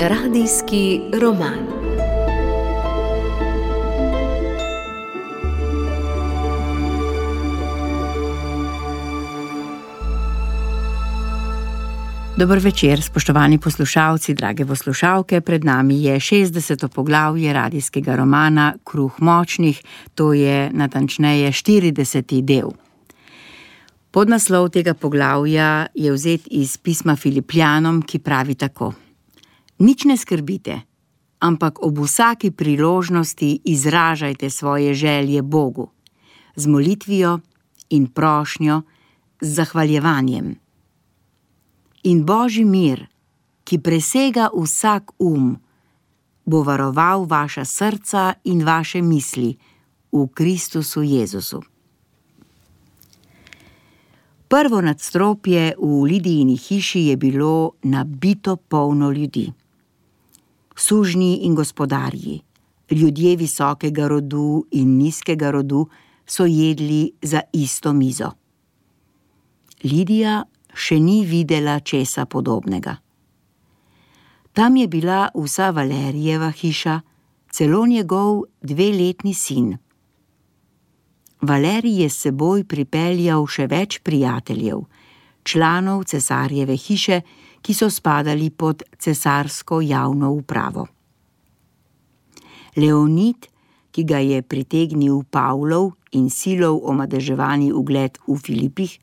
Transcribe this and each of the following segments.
Radijski roman. Dober večer, spoštovani poslušalci, drage poslušalke. Pred nami je 60. poglavje radijskega romana Kruh močnih, to je natančneje 40. del. Podnaslov tega poglavja je vzet iz pisma Filipljanom, ki pravi tako: Nič ne skrbite, ampak ob vsaki priložnosti izražajte svoje želje Bogu, z molitvijo in prošnjo, z zahvaljevanjem. In Božji mir, ki presega vsak bo varoval vaša srca in vaše misli v Kristusu Jezusu. Prvo nadstropje v Lidijini hiši je bilo nabito polno ljudi. Sužnji in gospodarji, ljudje visokega rodu in nizkega rodu so jedli za isto mizo. Lidija še ni videla česa podobnega. Tam je bila vsa Valerijeva hiša, celo njegov 2-letni sin. Valerij je s seboj pripeljal še več prijateljev, članov cesarjeve hiše, ki so spadali pod cesarsko javno upravo. Leonid, ki ga je pritegnil Pavlov in Silov omadeževani ugled v Filipih,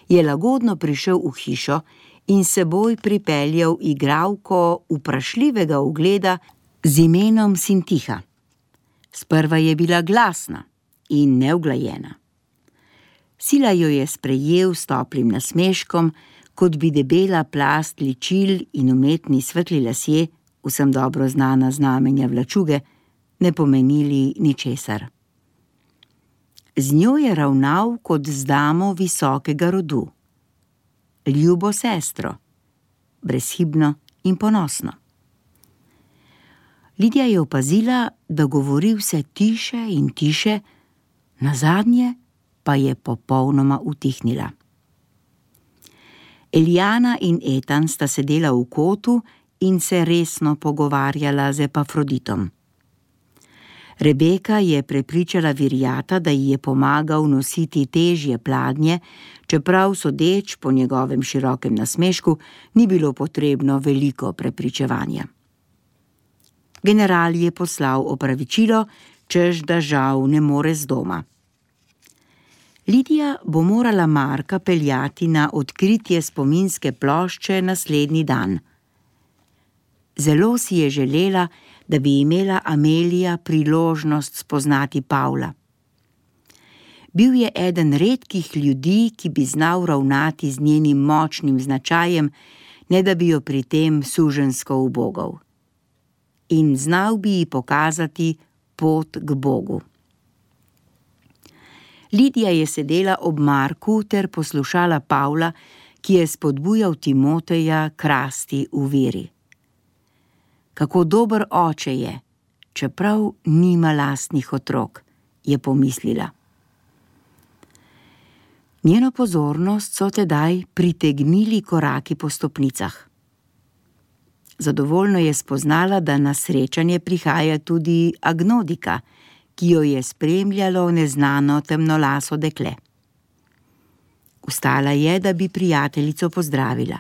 je lagodno prišel v hišo in s seboj pripeljal igralko vprašljivega ugleda z imenom Sintiha. Sprva je bila glasna in neuglajena. Sila jo je sprejel s toplim nasmeškom, kot bi debela plast ličil in umetni svetli lasje, vsem dobro znana znamenja vlačuge, ne pomenili ničesar. Z njo je ravnal kot z damo visokega rodu. Ljubo sestro, brezhibno in ponosno. Lidija je opazila, da govori vse tiše in tiše, nazadnje pa je popolnoma utihnila. Elijana in Etan sta sedela v kotu in se resno pogovarjala z Epafroditom. Rebeka je prepričala Virjata, da ji je pomagal nositi težje pladnje, čeprav sodeč po njegovem širokem nasmešku ni bilo potrebno veliko prepričevanja. General je poslal opravičilo, češ da žal ne more z doma. Lidija bo morala Marka peljati na odkritje spominske plošče naslednji dan. Zelo si je želela, da bi imela Amelija priložnost spoznati Pavla. Bil je eden redkih ljudi, ki bi znal ravnati z njenim močnim značajem, ne da bi jo pri tem suženjsko ubogal. In znal bi ji pokazati pot k Bogu. Lidija je sedela ob Marku ter poslušala Pavla, ki je spodbujal Timoteja k rasti v veri. Kako dober oče je, čeprav nima lastnih otrok, je pomislila. Njeno pozornost so tedaj pritegnili koraki po stopnicah. Zadovoljno je spoznala, da na srečanje prihaja tudi Agnodika, ki jo je spremljalo neznano temnolaso dekle. Vstala je, da bi prijateljico pozdravila.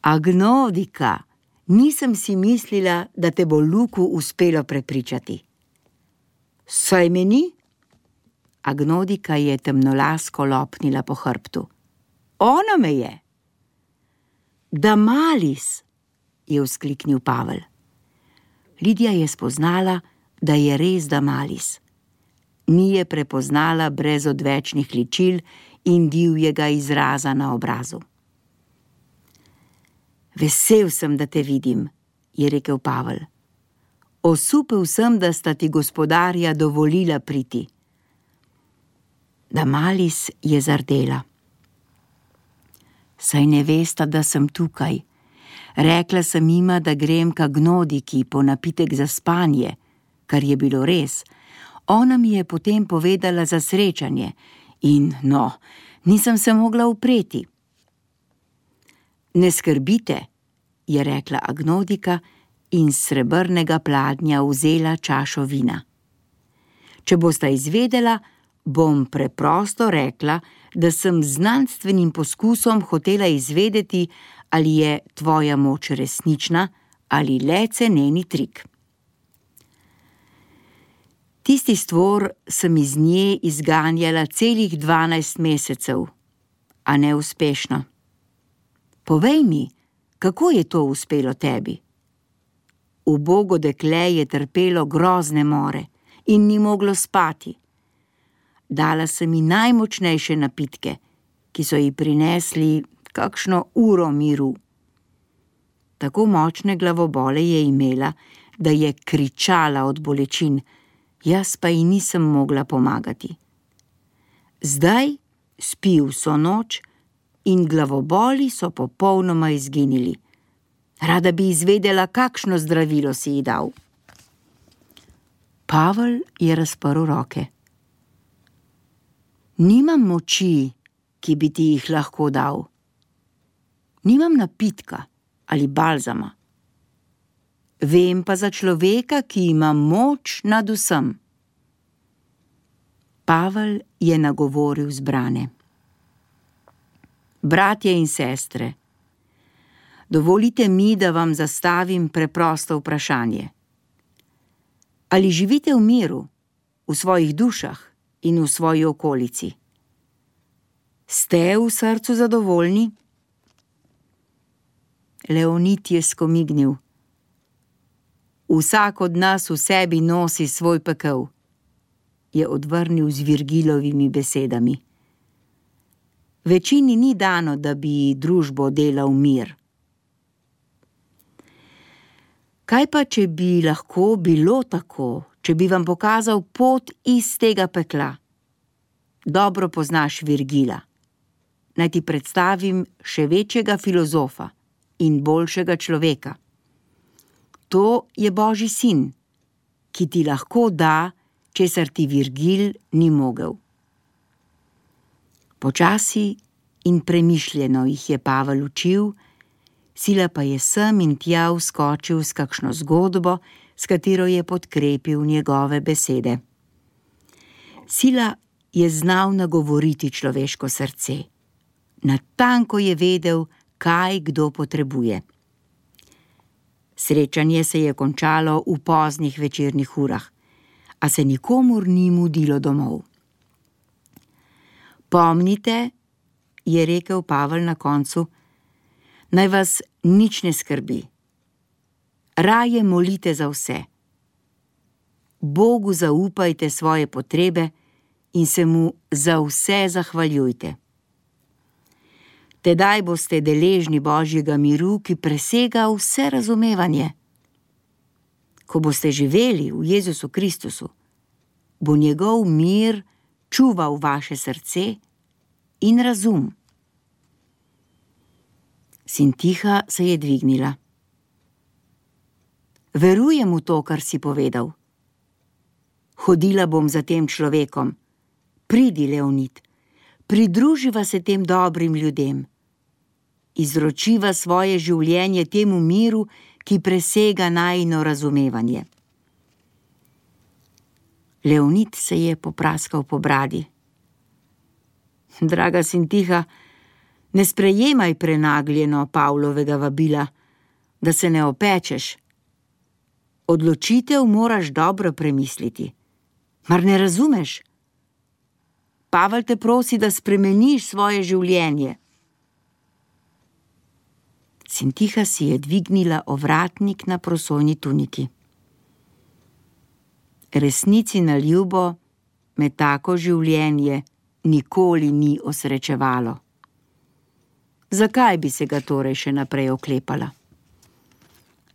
Agnodika, nisem si mislila, da te bo Luku uspelo prepričati. Saj me ni? Agnodika je temnolasko lopnila po hrbtu. Ona me je. Damalis, je vzkliknil Pavel. Lidija je spoznala, da je res Damalis. Ni je prepoznala brez odvečnih ličil in divjega izraza na obrazu. Vesel sem, da te vidim, je rekel Pavel. Osupel sem, da sta ti gospodarja dovolila priti. Damalis je zardela. Saj ne vesta, da sem tukaj. Rekla sem jima, da grem k Agnodiki po napitek za spanje, kar je bilo res. Ona mi je potem povedala za srečanje in, nisem se mogla upreti. Ne skrbite, je rekla Agnodika in s srebrnega pladnja vzela čašo vina. Če bosta izvedela, bom preprosto rekla, da sem z znanstvenim poskusom hotela izvedeti, ali je tvoja moč resnična ali le ceneni trik. Tisti stvor sem iz nje izganjala celih 12 mesecev, a neuspešno. Povej mi, kako je to uspelo tebi? Ubogo dekle je trpelo grozne more in ni moglo spati. Dala sem ji najmočnejše napitke, ki so ji prinesli kakšno uro miru. Tako močne glavobole je imela, da je kričala od bolečin, jaz pa ji nisem mogla pomagati. Zdaj spi vso noč in glavoboli so popolnoma izginili. Rada bi izvedela, kakšno zdravilo si ji dal. Pavel je razprl roke. Nimam moči, ki bi ti jih lahko dal. Nimam napitka ali balzama. Vem pa za človeka, ki ima moč nad vsem. Pavel je nagovoril zbrane. Bratje in sestre, dovolite mi, da vam zastavim preprosto vprašanje. Ali živite v miru, v svojih dušah in v svoji okolici? Ste v srcu zadovoljni? Leonid je skomignil. Vsak od nas v sebi nosi svoj pekel, je odvrnil z Virgilovimi besedami. Večini ni dano, da bi družbo delal mir. Kaj pa, če bi lahko bilo tako, če bi vam pokazal pot iz tega pekla? Dobro poznaš Virgila. Naj ti predstavim še večjega filozofa in boljšega človeka. To je Božji sin, ki ti lahko da, česar ti Virgil ni mogel. Počasi in premišljeno jih je Pavel učil, Sila pa je sem in tja vskočil s kakšno zgodbo, s katero je podkrepil njegove besede. Sila je znal nagovoriti človeško srce. Natanko je vedel, kaj kdo potrebuje. Srečanje se je končalo v poznih večernih urah, a se nikomur ni mudilo domov. Pomnite, je rekel Pavel na koncu, naj vas nič ne skrbi. Raje molite za vse. Bogu zaupajte svoje potrebe in se mu za vse zahvaljujte. Tedaj boste deležni Božjega miru, ki presega vse razumevanje. Ko boste živeli v Jezusu Kristusu, bo njegov mir čuval vaše srce in razum. Sintiha se je dvignila. Verujem v to, kar si povedal. Hodila bom za tem človekom. Pridi, Leonid, pridruživa se tem dobrim ljudem. Izročiva svoje življenje temu miru, ki presega najino razumevanje. Leonid se je popraskal po bradi. Draga Sintiha, ne sprejemaj prenagljeno Pavlovega vabila, da se ne opečeš. Odločitev moraš dobro premisliti. Mar ne razumeš? Pavel te prosi, da spremeniš svoje življenje. Sintiha si je dvignila ovratnik na prosojni tuniki. Resnici na ljubo me tako življenje nikoli ni osrečevalo. Zakaj bi se ga torej še naprej oklepala?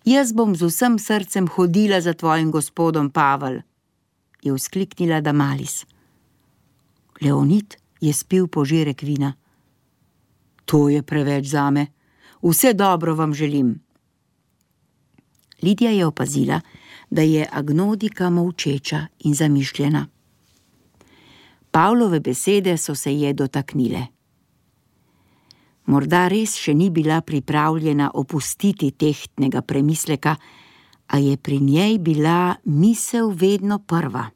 Jaz bom z vsem srcem hodila za tvojim gospodom, Pavel, je vzkliknila Damalis. Leonid je spil požirek vina. To je preveč zame. Vse dobro vam želim. Lidija je opazila, da je Agnodika molčeča in zamišljena. Pavlove besede so se je dotaknile. Morda res še ni bila pripravljena opustiti tehtnega premisleka, a je pri njej bila misel vedno prva.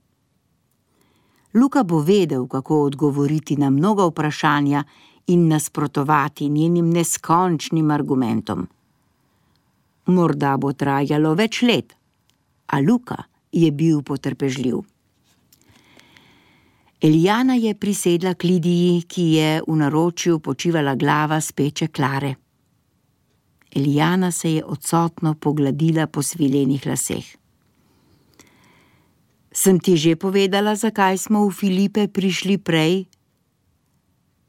Luka bo vedel, kako odgovoriti na mnoga vprašanja in nasprotovati njenim neskončnim argumentom. Morda bo trajalo več let, a Luka je bil potrpežljiv. Elijana je prisedla k Lidiji, ki je v naročju počivala glava speče Klare. Elijana se je odsotno pogladila po svilenih laseh. Sem ti že povedala, zakaj smo v Filipe prišli prej?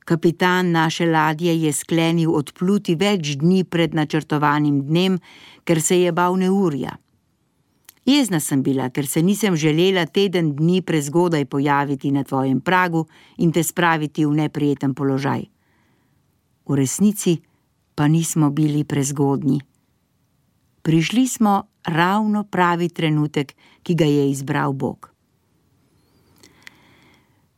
Kapitan naše ladje je sklenil odpluti več dni pred načrtovanim dnem, ker se je bal neurja. Jezna sem bila, ker se nisem želela teden dni prezgodaj pojaviti na tvojem pragu in te spraviti v neprijeten položaj. V resnici pa nismo bili prezgodnji. Prišli smo ravno pravi trenutek, ki ga je izbral Bog.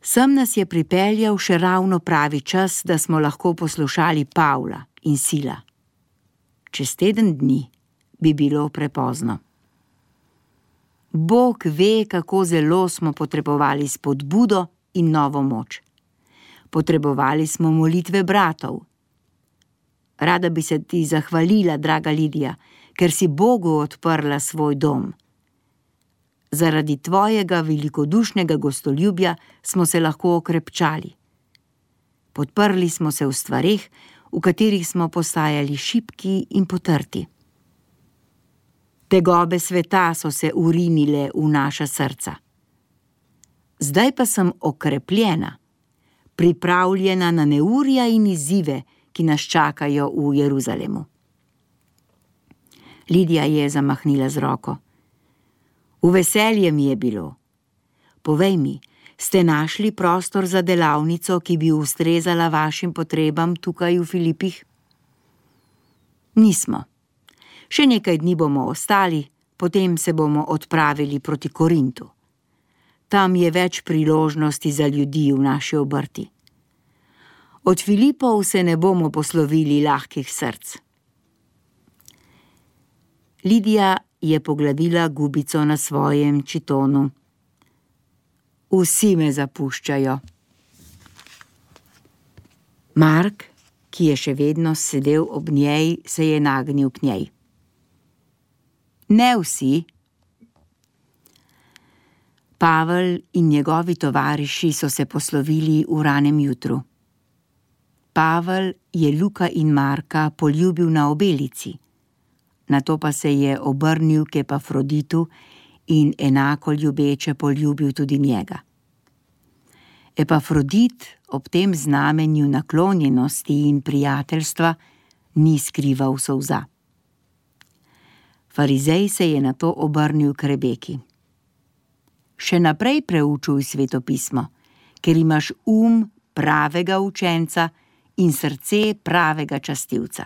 Sem nas je pripeljal še ravno pravi čas, da smo lahko poslušali Pavla in Sila. Čez teden dni bi bilo prepozno. Bog ve, kako zelo smo potrebovali spodbudo in novo moč. Potrebovali smo molitve bratov. Rada bi se ti zahvalila, draga Lidija, ker si Bogu odprla svoj dom. Zaradi tvojega velikodušnega gostoljubja smo se lahko okrepčali. Podprli smo se v stvareh, v katerih smo postajali šibki in potrti. Tegobe sveta so se urinile v naša srca. Zdaj pa sem okrepljena, pripravljena na neurja in izzive, ki nas čakajo v Jeruzalemu. Lidija je zamahnila z roko. V veselje mi je bilo. Povej mi, ste našli prostor za delavnico, ki bi ustrezala vašim potrebam tukaj v Filipih? Nismo. Še nekaj dni bomo ostali, potem se bomo odpravili proti Korintu. Tam je več priložnosti za ljudi v naši obrti. Od Filipov se ne bomo poslovili lahkih src. Lidija je pogladila gubico na svojem čitonu. Vsi me zapuščajo. Mark, ki je še vedno sedel ob njej, se je nagnil k njej. Ne vsi. Pavel in njegovi tovariši so se poslovili v ranem jutru. Pavel je Luka in Marka poljubil na obelici, nato pa se je obrnil k Epafroditu in enako ljubeče poljubil tudi njega. Epafrodit ob tem znamenju naklonjenosti in prijateljstva ni skrival solza. Farizej se je nato obrnil k Rebeki. Še naprej preučuj svetopismo, ker imaš pravega učenca in srce pravega častilca.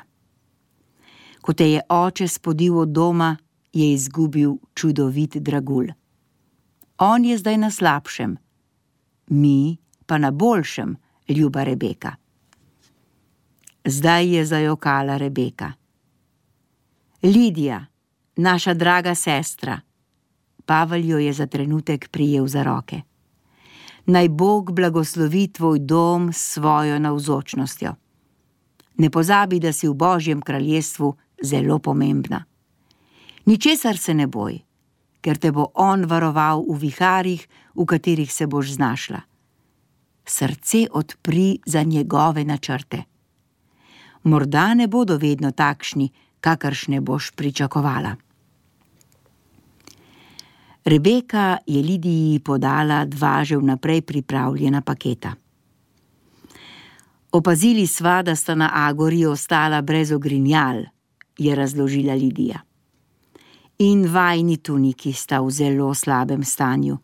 Ko te je oče spodil od doma, je izgubil čudovit dragulj. On je zdaj na slabšem, mi pa na boljšem, ljuba Rebeka. Zdaj je zajokala Rebeka. Lidija, naša draga sestra, Pavel jo je za trenutek prijel za roke. Naj Bog blagoslovi tvoj dom s svojo navzočnostjo. Ne pozabi, da si v Božjem kraljestvu zelo pomembna. Ničesar se ne boj, ker te bo on varoval v viharjih, v katerih se boš znašla. Srce odpri za njegove načrte. Morda ne bodo vedno takšni, kakršne boš pričakovala. Rebeka je Lidiji podala 2 že vnaprej pripravljena paketa. Opazili sva, da sta na Agori ostala brez ogrinjal, je razložila Lidija. In vajni tuniki sta v zelo slabem stanju,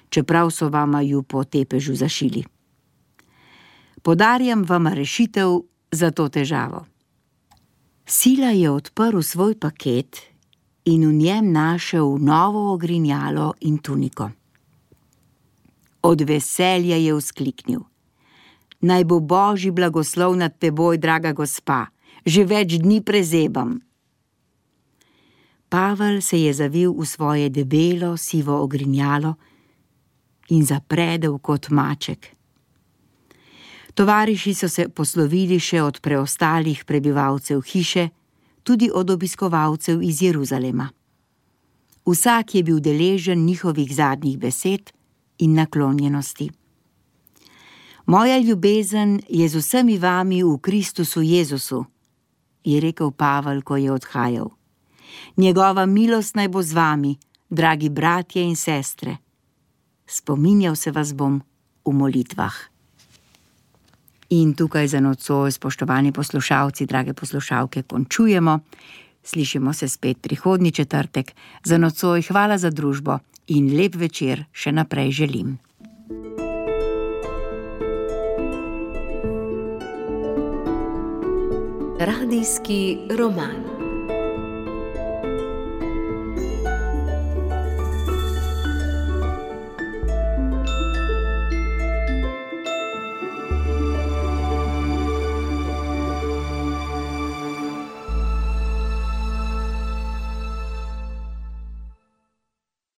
čeprav so vama ju po tepežu zašili. Podarjam vama rešitev za to težavo. Sila je odprl svoj paket in v njem našel novo ogrinjalo in tuniko. Od veselja je vzkliknil. Naj bo Božji blagoslov nad teboj, draga gospa, že več dni prezebam. Pavel se je zavil v svoje debelo, sivo ogrinjalo in zapredel kot maček. Tovariši so se poslovili še od preostalih prebivalcev hiše, tudi od obiskovalcev iz Jeruzalema. Vsak je bil deležen njihovih zadnjih besed in naklonjenosti. Moja ljubezen je z vsemi vami v Kristusu Jezusu, je rekel Pavel, ko je odhajal. Njegova milost naj bo z vami, dragi bratje in sestre. Spominjal se vas bom v molitvah. In tukaj za nocoj, spoštovani poslušalci, drage poslušalke, končujemo. Slišimo se spet prihodnji četrtek. Za nocoj hvala za družbo in lep večer še naprej želim. Radijski roman.